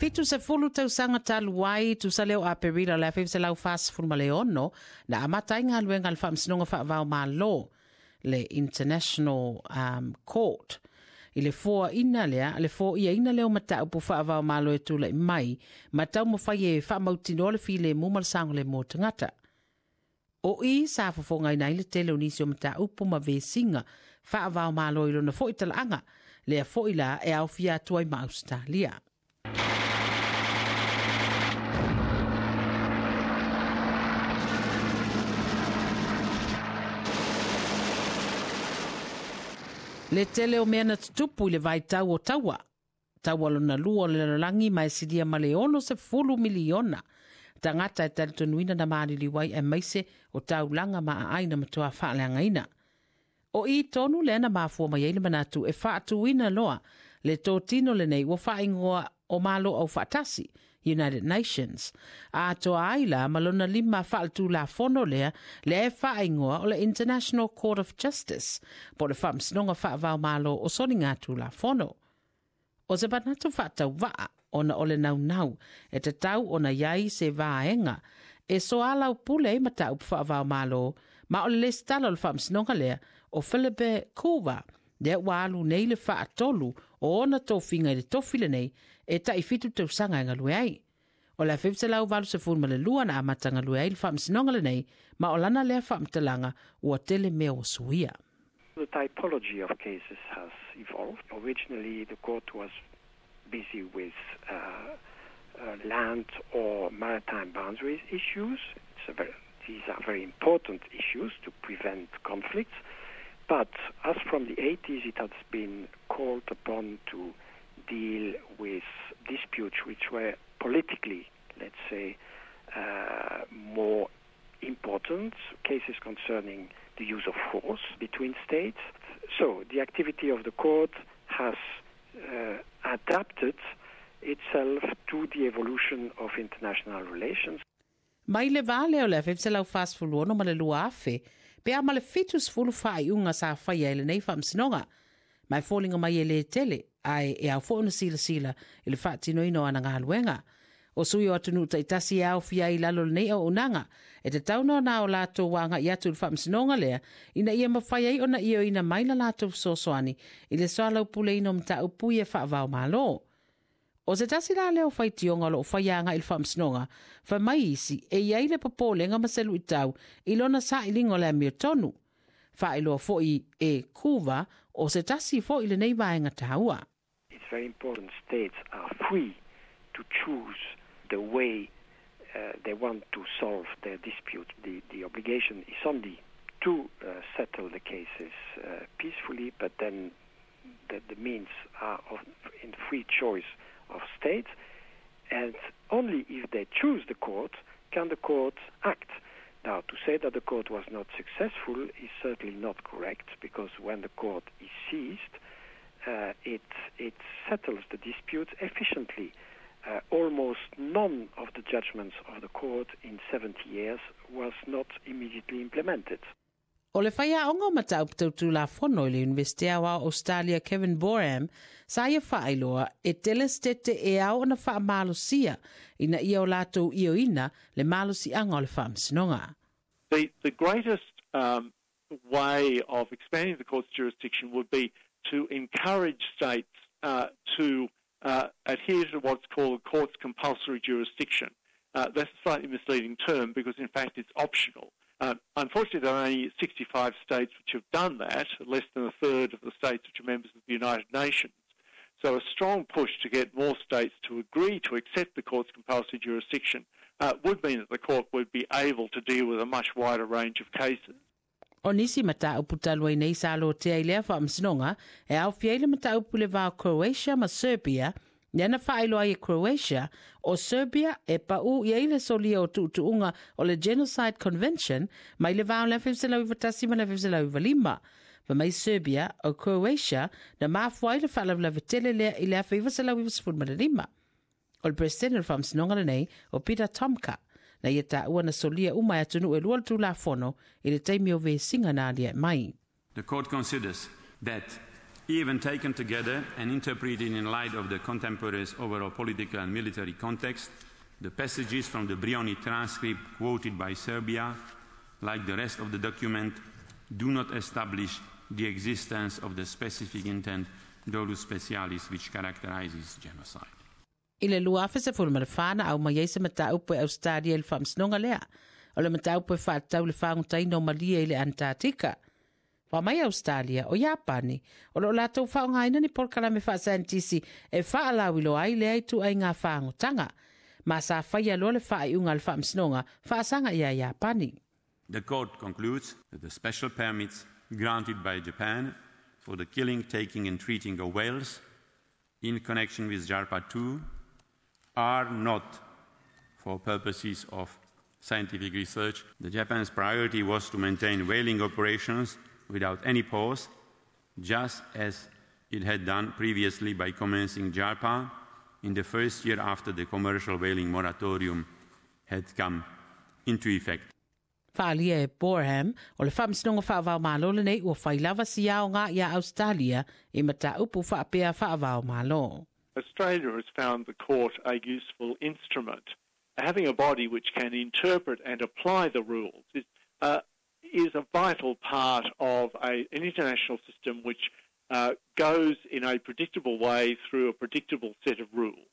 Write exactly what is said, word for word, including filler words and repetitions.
Fitu sefulu tausaga talu ai tusa lea o Aperila o le afe iva selau fasefulu ma le ono na amata ai galuega a le Faamasinoga Faavao Malo, le International um, Court. I le foaina lea, le foiaina lea o mataupu faavao malo e tula'i mai ma taumafai e faamautinoa le filemu ma le saogalemu o tagata. O i sa fofogaina ai le tele o nisi o mataupu ma vesiga faavao malo i lona fo'i talaaga, lea fo'i la e aofia atu ai ma Ausetalia. Le tele o mea na tutupu i le vaitau o taua. Taua lona lua o le lalolagi ma e silia ma le ono sefulu miliona tagata e talitonuina na maliliu ai aemaise o taulaga ma aai na matuā faaleagaina. O i tonu lea na mafua mai ai le manatu e faatuina loa le totino lenei ua faaigoa o Malo Aufaatasi, United Nations. Atoa ai la ma lona lima faaletulafono lea lea e faaigoa o le International Court of Justice, po o le Faamasinoga Faavao Malo o Soligatulafono. O se manatu faatauvaa ona o le naunau e tatau ona i ai se vaega e soalaupule ai mataupu faavao malo, ma o le lesitala o le Faamasinoga lea o Philippe Couva, lea ua alu nei le faatolu o ona tofiga i le tofi lenei e taʻifitu tausaga e galue ai. O le afe iva selau valu sefulu ma le lua na amata galue ai le Faamasinoga lenei, ma o lana lea faamatalaga ua tele mea ua suia. The typology of cases has evolved. Originally, the court was busy with uh, uh, land or maritime boundaries issues. It's a very, these are very important issues to prevent conflicts. But as from the eighties, it has been called upon to deal with disputes which were politically, let's say, uh, more important, cases concerning the use of force between states. So the activity of the court has uh, adapted itself to the evolution of international relations. Mai le vā lea o le afe iva selau fasefulu ono ma le lua afe, pe a ma le fitu sefulu faaiuga sa faia i lenei faamasinoga. Ma e foliga mai e lē tele, ae e ao foʻi ona silasila i le faatinoina o ana galuega. O sui o atunuu taitasi e aofia ai i lalo o lenei auaunaga, e tatau ona ona o latou agaʻi atu i le faamasinoga lea, ina ia mafai ai ona ioeina mai la latou fesoasoani i le soalaupuleina o mataupu ia faavao malo. O se tasi la lea o faitioga o loo faia agaʻi i le faamasinoga, fai mai isi e i ai le popolega ma se luʻitau i lona sailiga o le amiotonu. Faailoa foʻi e Couva o se tasi foʻi lenei vaega taua. It's very important states are free to choose the way uh, they want to solve their dispute. The, the obligation is only to uh, settle the cases uh, peacefully, but then the, the means are of, in free choice of states, and only if they choose the court can the court act. Now, to say that the court was not successful is certainly not correct, because when the court is seized, uh, it, it settles the dispute efficiently. Uh, almost none of the judgments of the court in seventy years was not immediately implemented. O le faiaoga o mataupu tau tulafono i le Iunivesite Aoao o Australia Kevin Boram sa ia faailoa e tele setete e ao ona faamalosia ina ia o latou ioeina le malosiaga o le faamasinoga. The, the greatest um, way of expanding the court's jurisdiction would be to encourage states uh, to uh, adhere to what's called the court's compulsory jurisdiction. Uh, that's a slightly misleading term because, in fact, it's optional. Uh, unfortunately, there are only sixty-five states which have done that, less than a third of the states which are members of the United Nations. So a strong push to get more states to agree to accept the court's compulsory jurisdiction uh, would mean that the court would be able to deal with a much wider range of cases. O nisi mataupu talu ai nei sa lotea i lea faamasinoga e aofia ai le mataupu i le va o Croatia ma Serbia, lea na faailoa ai e Croatia o Serbia e paʻū i ai le solia o tuutuuga o le Genocide Convention mai le va o le afe iva selau iva tasi ma le afe iva selau iva lima. Fai mai Serbia o Croatia na mafua ai le faalavelave tele lea i le afe iva selau iva sefulu ma le lima. O le Peresetene o le Faamasinoga lenei o Peter Tomka na ia taua na solia uma e atunuu e lua le tulafono i le taimi o vesiga na aliaʻe mai. The court considers that Even taken together and interpreted in light of the contemporary overall political and military context, the passages from the Brioni transcript quoted by Serbia, like the rest of the document, do not establish the existence of the specific intent dolus specialis which characterizes genocide. I le lua afe sefulu ma le fa na aumai ai se mataupu e Ausetalia i le faamasinoga lea. O le mataupu e faatatau i le fagotaina o malie i le Antarctica. Fai mai Ausetalia o Iapani, o loo latou faaaogaina ni polokalame faasaienitisi e faalauiloa ai lea ituaiga fagotaga. Ma sa faia loa le faaiuga a le faamasinoga faasaga ia Iapani. The court concludes that the special permits granted by Japan for the killing, taking and treating of whales in connection with JARPA two are not for purposes of scientific research. The Japan's priority was to maintain whaling operations without any pause, just as it had done previously by commencing JARPA in the first year after the commercial whaling moratorium had come into effect. Faaalia e Boreham, o le faamasinoga faava-o-Malo lenei ua fai lava si aoga iā Ausetalia i mataupu faapea faava-o-Malo. Australia has found the court a useful instrument. Having a body which can interpret and apply the rules is, uh, is a vital part of a, an international system which uh, goes in a predictable way through a predictable set of rules.